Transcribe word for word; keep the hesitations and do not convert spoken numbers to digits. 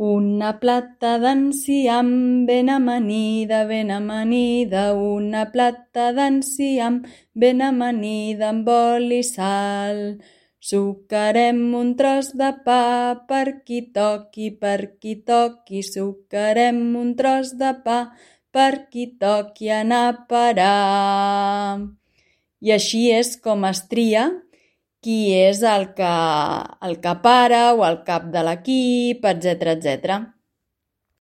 Una plata d'enciam ben amanida, ben amanida, una plata d'enciam ben amanida amb oli i sal. Sucarem un tros de pa per qui toqui, per qui toqui, sucarem un tros de pa per qui toqui anar a parar. I així és com es tria qui és el que, el que para o el cap de l'equip, etcètera, etcètera.